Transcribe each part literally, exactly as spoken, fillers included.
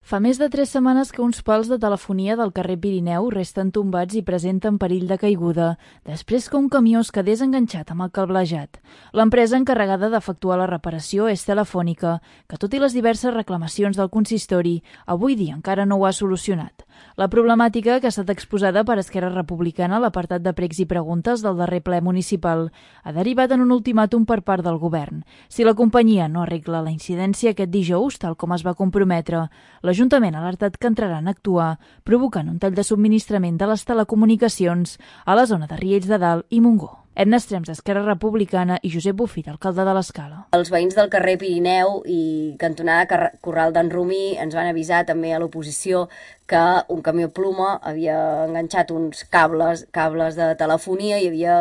Fa més de tres setmanes que uns pals de telefonia del carrer Pirineu resten tombats i presenten perill de caiguda, després que un camió es quedés enganxat amb el cablejat. L'empresa encarregada d'efectuar la reparació és Telefònica, que tot i les diverses reclamacions del consistori, avui dia encara no ho ha solucionat. La problemàtica, que ha estat exposada per Esquerra Republicana a l'apartat de pregs i preguntes del darrer ple municipal, ha derivat en un ultimàtum per part del govern. Si la companyia no arregla la incidència aquest dijous, tal com es va comprometre, l'Ajuntament ha alertat que entraran a actuar, provocant un tall de subministrament de les telecomunicacions a la zona de Riells de Dalt i Montgó. Edna Estrems, d'Esquerra Republicana, i Josep Bufit, alcalde de l'Escala. Els veïns del carrer Pirineu i cantonada Corral d'en Romí ens van avisar també a l'oposició que un camió pluma havia enganxat uns cables, cables de telefonia i havia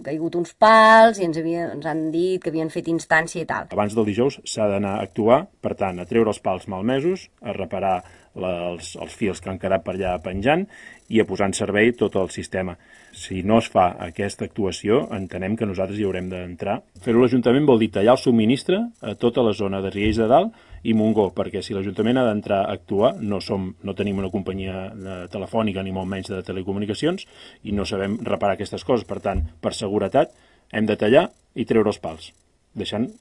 caigut uns pals i ens, havia, ens han dit que havien fet instància i tal. Abans del dijous s'ha d'anar a actuar, per tant, a treure els pals malmesos, a reparar la, els, els fils que han quedat per allà penjant i a posar en servei tot el sistema. Si no es fa aquesta actuació, entenem que nosaltres hi haurem d'entrar. Fer-ho l'Ajuntament vol dir tallar el subministre a tota la zona de Riells de Dalt i Montgó, perquè si l'Ajuntament ha d'entrar a actuar, no, som, no tenim una companyia telefònica ni molt menys de telecomunicacions i no sabem reparar aquestes coses. Per tant, per seguretat, hem de tallar i treure els pals, deixant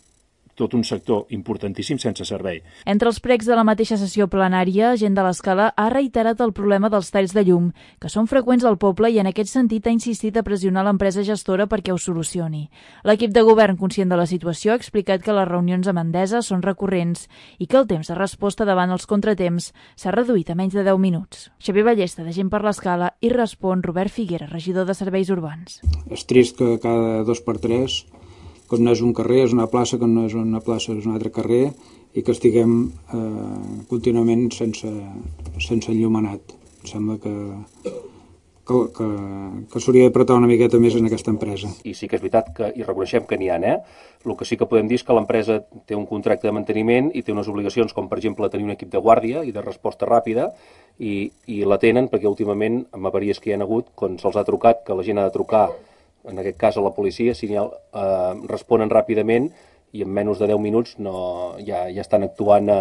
tot un sector importantíssim sense servei. Entre els pregs de la mateixa sessió plenària, gent de l'Escala ha reiterat el problema dels talls de llum, que són freqüents al poble i en aquest sentit ha insistit a pressionar l'empresa gestora perquè ho solucioni. L'equip de govern, conscient de la situació, ha explicat que les reunions amb Endesa són recurrents i que el temps de resposta davant els contratemps s'ha reduït a menys de deu minuts. Xavier Ballesta, de Gent per l'Escala, i respon Robert Figuera, regidor de Serveis Urbans. És trist que cada dos per tres, que no és un carrer, és una plaça, que no és una plaça, és un altre carrer, i que estiguem eh, contínuament sense, sense enllumenat. Em sembla que, que, que, que s'hauria d'apretar una miqueta més en aquesta empresa. I sí que és veritat que hi reconeixem que n'hi ha, eh? El que sí que podem dir és que l'empresa té un contracte de manteniment i té unes obligacions, com per exemple tenir un equip de guàrdia i de resposta ràpida, i, i la tenen perquè últimament, amb avaries que hi ha hagut, quan se'ls ha trucat, que la gent ha de trucar, en aquest cas a la policia, si eh, responen ràpidament i en menys de deu minuts no, ja, ja estan actuant eh,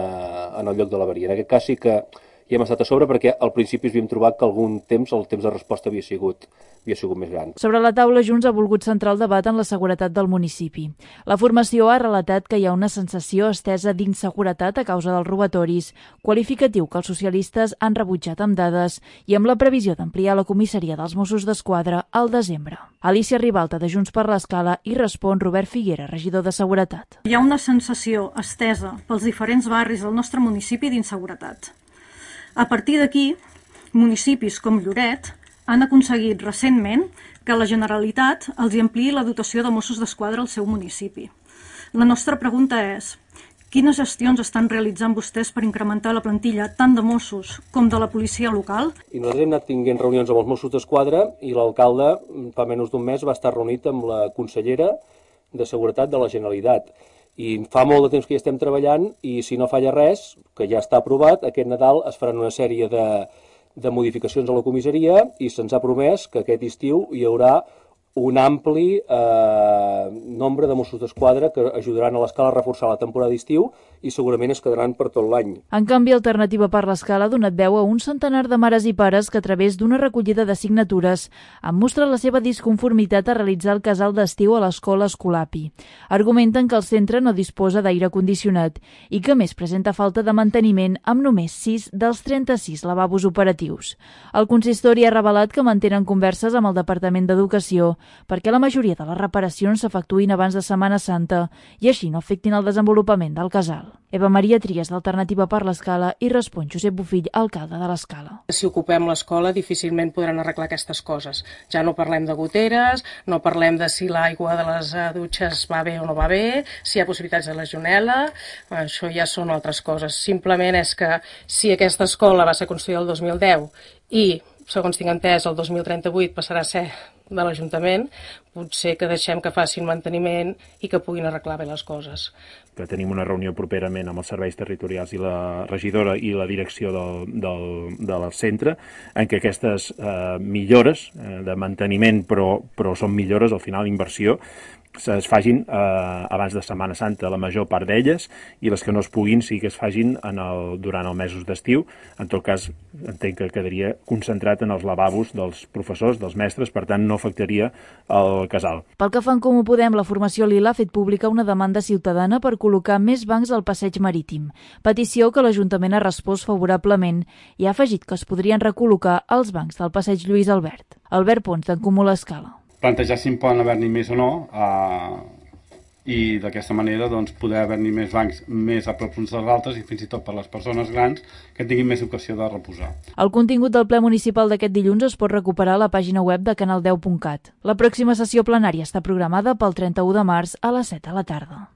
en el lloc de l'avaria. En aquest cas sí que hi hem estat a sobre perquè al principi havíem trobat que algun temps el temps de resposta havia sigut, havia sigut més gran. Sobre la taula, Junts ha volgut centrar el debat en la seguretat del municipi. La formació ha relatat que hi ha una sensació estesa d'inseguretat a causa dels robatoris, qualificatiu que els socialistes han rebutjat amb dades i amb la previsió d'ampliar la comissaria dels Mossos d'Esquadra al desembre. Alicia Ribalta, de Junts per l'Escala, i respon Robert Figuera, regidor de Seguretat. Hi ha una sensació estesa pels diferents barris del nostre municipi d'inseguretat. A partir d'aquí, municipis com Lloret han aconseguit recentment que la Generalitat els ampliï la dotació de Mossos d'Esquadra al seu municipi. La nostra pregunta és: quines gestions estan realitzant vostès per incrementar la plantilla tant de Mossos com de la policia local? I nosaltres hem anat tinguent reunions amb els Mossos d'Esquadra i l'alcalde fa menys d'un mes va estar reunit amb la consellera de Seguretat de la Generalitat. I fa molt de temps que hi estem treballant i si no falla res, que ja està aprovat, aquest Nadal es faran una sèrie de, de modificacions a la comissaria i se'ns ha promès que aquest estiu hi haurà un ampli eh, nombre de Mossos d'Esquadra que ajudaran a l'Escala a reforçar la temporada d'estiu i segurament es quedaran per tot l'any. En canvi, Alternativa per l'Escala ha donat veu a un centenar de mares i pares que a través d'una recollida de signatures han mostrat la seva disconformitat a realitzar el casal d'estiu a l'escola Escolapi. Argumenten que el centre no disposa d'aire condicionat i que més presenta falta de manteniment amb només sis dels trenta-sis lavabos operatius. El consistori ha revelat que mantenen converses amb el Departament d'Educació perquè la majoria de les reparacions s'efectuïn abans de Setmana Santa i així no afectin el desenvolupament del casal. Eva Maria Trias, d'Alternativa per l'Escala, i respon Josep Bufill, alcalde de l'Escala. Si ocupem l'escola difícilment podran arreglar aquestes coses. Ja no parlem de goteres, no parlem de si l'aigua de les dutxes va bé o no va bé, si hi ha possibilitats de legionel·la, això ja són altres coses. Simplement és que si aquesta escola va ser construïda el dos mil deu i, segons tinc entès, el dos mil trenta-vuit passarà a ser de l'Ajuntament, potser que deixem que facin manteniment i que puguin arreglar bé les coses. Que tenim una reunió properament amb els serveis territorials i la regidora i la direcció del, del, del centre, en què aquestes eh, millores eh, de manteniment, però, però són millores, al final, inversió, es fagin eh, abans de Setmana Santa, la major part d'elles, i les que no es puguin sí que es fagin en el, durant els mesos d'estiu. En tot cas, entenc que quedaria concentrat en els lavabos dels professors, dels mestres, per tant no afectaria el casal. Pel que fa en Comú Podem, la formació Lila ha fet pública una demanda ciutadana per col·locar més bancs al passeig marítim, petició que l'Ajuntament ha respost favorablement i ha afegit que es podrien recol·locar els bancs del passeig Lluís Albert. Albert Pons, d'en Comú l'Escala. Plantejar si en poden haver-n'hi més o no eh, i d'aquesta manera doncs, poder haver-n'hi més bancs més a prop uns dels altres i fins i tot per les persones grans que tinguin més ocasió de reposar. El contingut del ple municipal d'aquest dilluns es pot recuperar a la pàgina web de canal deu punt cat. La pròxima sessió plenària està programada pel trenta-u de març a les set de la tarda.